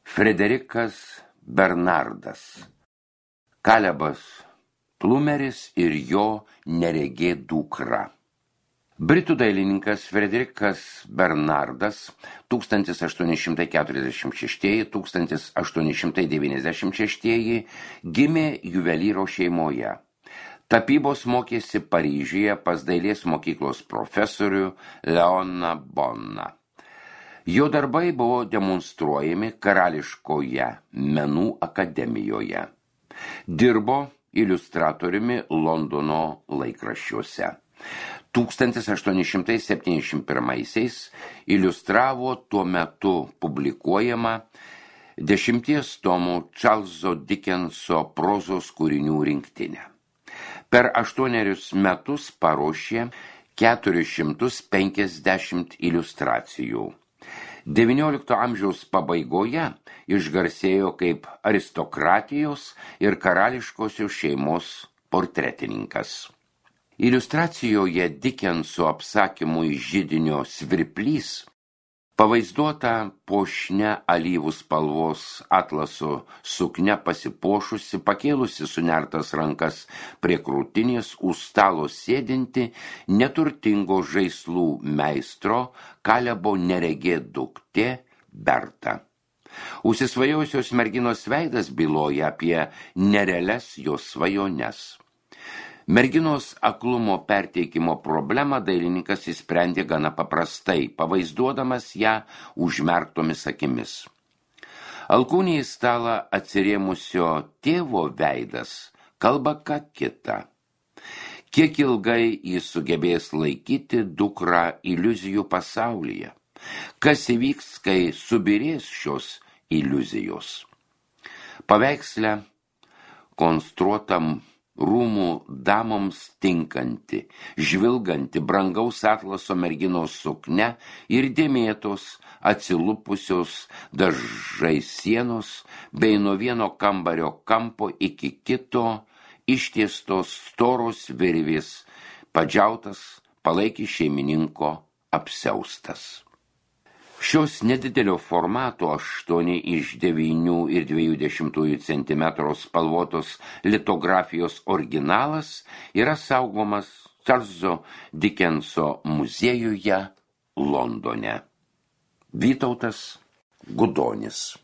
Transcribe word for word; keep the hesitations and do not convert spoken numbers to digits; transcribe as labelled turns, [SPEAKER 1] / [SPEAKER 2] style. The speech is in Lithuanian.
[SPEAKER 1] Frederikas Bernardas, Kalebas Plumeris ir jo neregė dukra. Britų dailininkas Frederikas Bernardas tūkstantis aštuoni šimtai keturiasdešimt šeši - tūkstantis aštuoni šimtai devyniasdešimt šeši gimė juvelyro šeimoje. Tapybos mokėsi Paryžiuje pas dailės mokyklos profesorių Leoną Bonną. Jo darbai buvo demonstruojami Karališkoje menų akademijoje. Dirbo iliustratoriumi Londono laikraščiuose. tūkstantis aštuoni šimtai septyniasdešimt pirmaisiais iliustravo tuo metu publikuojamą dešimties tomų Čarlzo Dickenso prozos kūrinių rinktinę. Per aštuonerius metus paruošė keturis šimtus penkiasdešimt iliustracijų. devyniolikto amžiaus pabaigoje išgarsėjo kaip aristokratijos ir karališkosios šeimos portretininkas. Iliustracijoje Dickenso apsakymui Židinio svirplys pavaizduota puošnia alyvų spalvos atlaso suknia pasipuošusi, pakėlusi sunertas rankas prie krūtinės, už stalo sėdinti neturtingo žaislų meistro Kalebo neregė duktė Berta. Užsisvajojusios merginos veidas byloja apie nerealias jos svajones. Merginos aklumo perteikimo problemą dailininkas įsprendė gana paprastai, pavaizduodamas ją užmerktomis akimis. Alkūnė į stalą atsirėmusio tėvo veidas kalba ką kita. Kiek ilgai jis sugebės laikyti dukrą iliuzijų pasaulyje? Kas įvyks, kai subirės šios iliuzijos? Paveiksle konstruotam rūmų damoms tinkanti, žvilganti brangaus atlaso merginos suknia ir dėmėtos, atsilupusios dažai sienos, bei nuo vieno kambario kampo iki kito ištiestos storos virvės, padžiautas palaikė šeimininko apsiaustas. Šios nedidelio formato aštuoni iš devynių ir dviejų dešimtųjų centimetrų spalvotos litografijos originalas yra saugomas Čarlzo Dickenso muziejuje Londone. Vytautas Gudonis.